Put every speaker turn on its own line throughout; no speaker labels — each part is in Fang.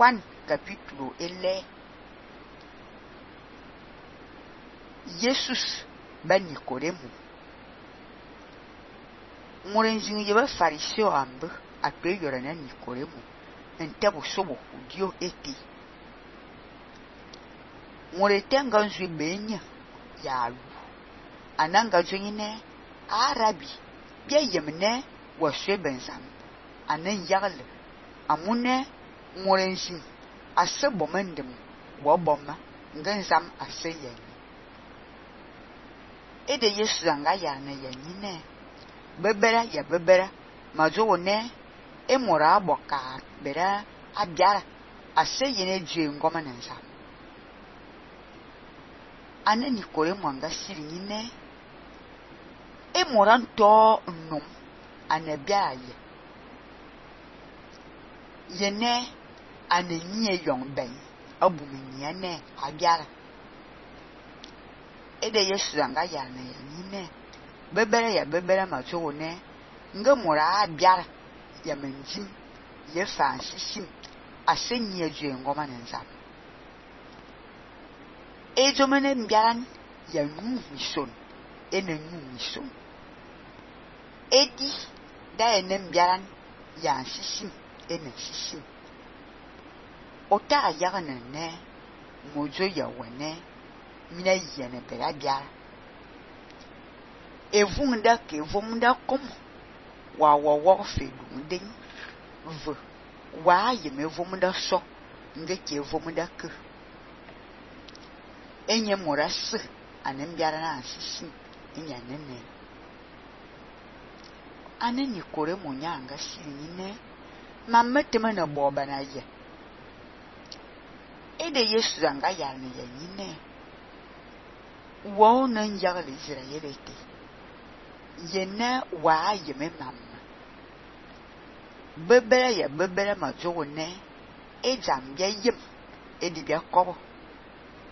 Juan capítulo 11. Jesus ba Nicodemo. Morenjin yeba fariseo ambe akpe yora na Nicodemo ntebo sobo dio eti. Moretenga nzwe benya ya lu. Ananga jonyine Arabi bia yemne wa shebenzam anan yagle amune morenjin ase bomendem wo bomma nganzam ase yen. Ede Yesu anga ya na yenine bebera ya bebera majo ne emora aboka bera abiara ase yene je ngoma nanza anani kore mwanga siri nyine emora nto nnum anabia ye yene anenye yong ben abumenya ne abiara. Ede Yesu anga ya na yenine bebera ya bebera majo ne ngamora abiara ya menjim ye fansishim asenye je ngoma nanza ejomene mbiaran ya nu mison ene nu mison edi da ene mbiaran ya shishim ene shishim ota ayagana ne mojo ya wane mina yene bera biara evunda ke vomunda kom wa wo fedu den v wa yeme vomunda so nge ke vomunda ke enye moras anen biara na shishim enya nene aneni kore munyanga shine mametema na boba na ye. Ede Yesu anga ya na yenine wo na nyagle Israelite yene wa yeme mamma bebera ya bebera majo ne ejam bia yem edi bia kobo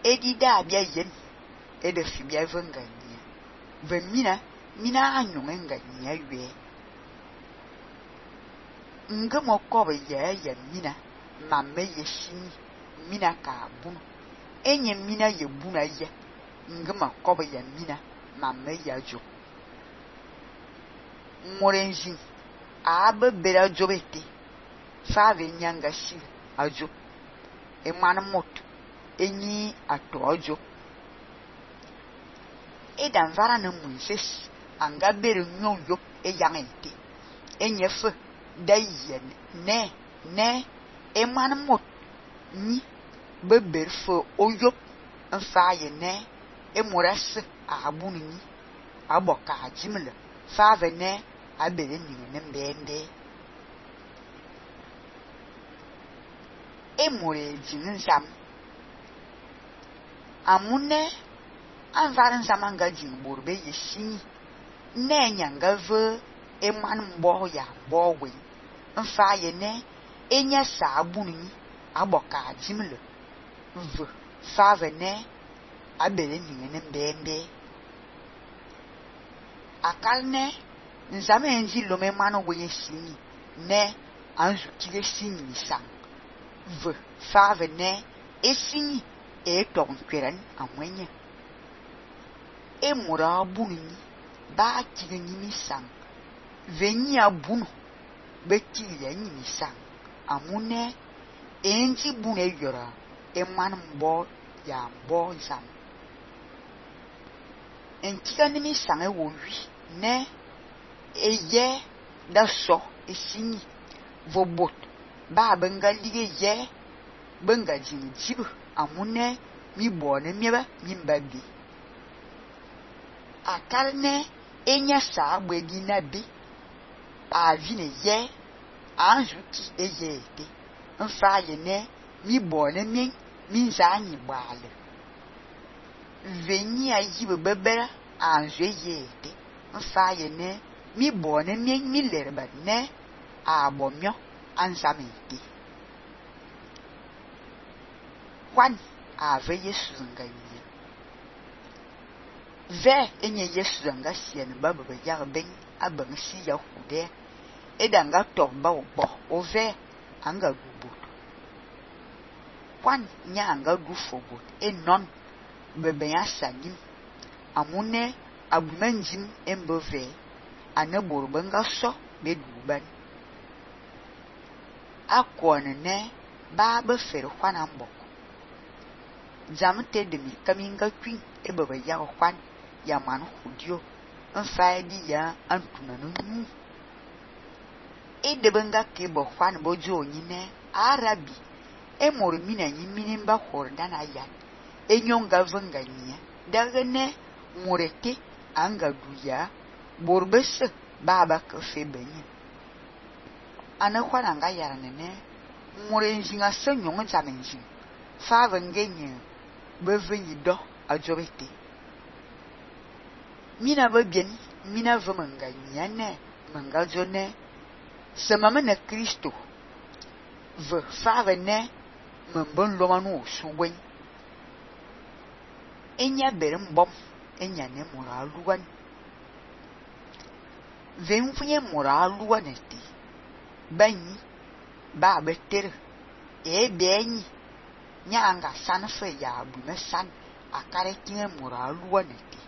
edi da bia yen ede fi bia vengania vemina mina anyong ngania ywe ngamo kobo ya mina mamme yeshini mina ka bunu enye mina ye buna ye ngama kobo ya mina mamme ya jo morenjin abe bera jobete fave nyanga shi ajo emana mot enyi atojo edan vara na munses anga bere nyoyo eyangente enyefe dayen ne emana mot ni beber fo oyo mfaye ne emoras abunu ni aboka jimle fave ne abere ni ne mbende emore jinsam amune anvaran samanga jimborbe yeshini ne nyanga ve eman mbo ya bowe mfaye ne enya sa abunu ni aboka jimle v fave ne abere ni ne mbende akalne nzame enji lome mano wenye sini ne anzu kile sini sang v fave ne esini ton kweren amwenye emura bunu ba kile ni sang veni abunu beti ya ni sang amune enji bunu yora eman mbo ya mbo zam entika ni sang e wo wi ne eye da so esini vobot ba benga lige ye benga jinjibu amune mi bone mieba mi mbabi akarne enya sa agbedi na bi avine ye anjuki eye ete mfa ye ne mi bone mi nzanyi gbale veni ayi bebera anju eye ete mfa ye ne mi bone mi lerba ne abomyo ansamiti Juan ave Yesu ngayi ve enye Yesu nga sien baba ba yar ben abang si ya hude edanga tomba obo ove anga gubu kwan nyanga du fogo enon bebe ya sanim amune abumenjim embove ane borbenga so beduban akone ne ba be fer kwana mbok jamte demi kaminga kwin ebebe ya kwan ya man hudio mfaidi ya antuna no nu edebenga ke bo kwan bojo nyine arabi emor mina nyimini mba hordana yan enyonga venga nya dagene murete anga duya borbese baba ka febenye ana kwana nga yarane ne murenjinga senyong zamenjin fa vengenye bevenyi do ajobete mina babien mina vemanga nyane manga jone semama na Kristo ve fa vene mbon lomanu suwen enya berembom enya ne moraluan vemfunye moraluan eti banyi ba betere benyi nyanga sanfe ya bume san akare kinye moraluan eti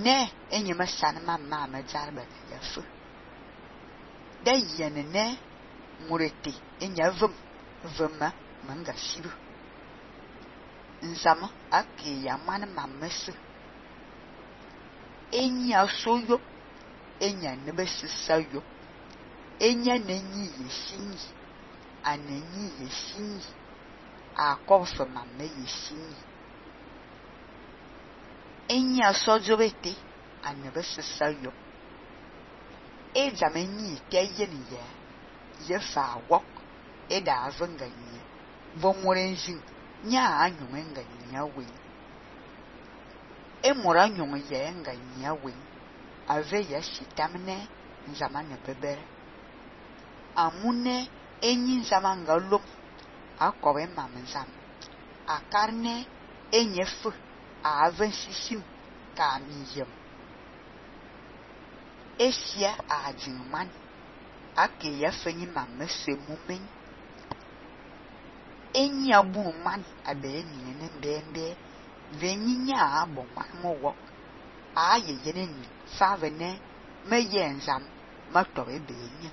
ne enyema san mamma majarba ya fu da yene ne murete enya vema manga shiru nzama ake ya man mamese enya soyo enya nebesisayo enya nenyi yeshinyi anenyi yeshinyi akofa mamme yeshinyi enya sojobete anebesisayo ejamenyi teyeni ye fa wok eda avenga nye vomorenjin nya anyunga nya we emora nyunga ye nga nya we ave ya shitamne nzamane bebere amune enyi nzamanga lom akobe mamnzam akarne enyefu ave shishim kamiyem esia ajinman ake ya fenyi mamese mumen enyi abu man abe ni ne bembe venyinya abo man mo wok aye yene ni fa vene me yenzam ma tobe be nya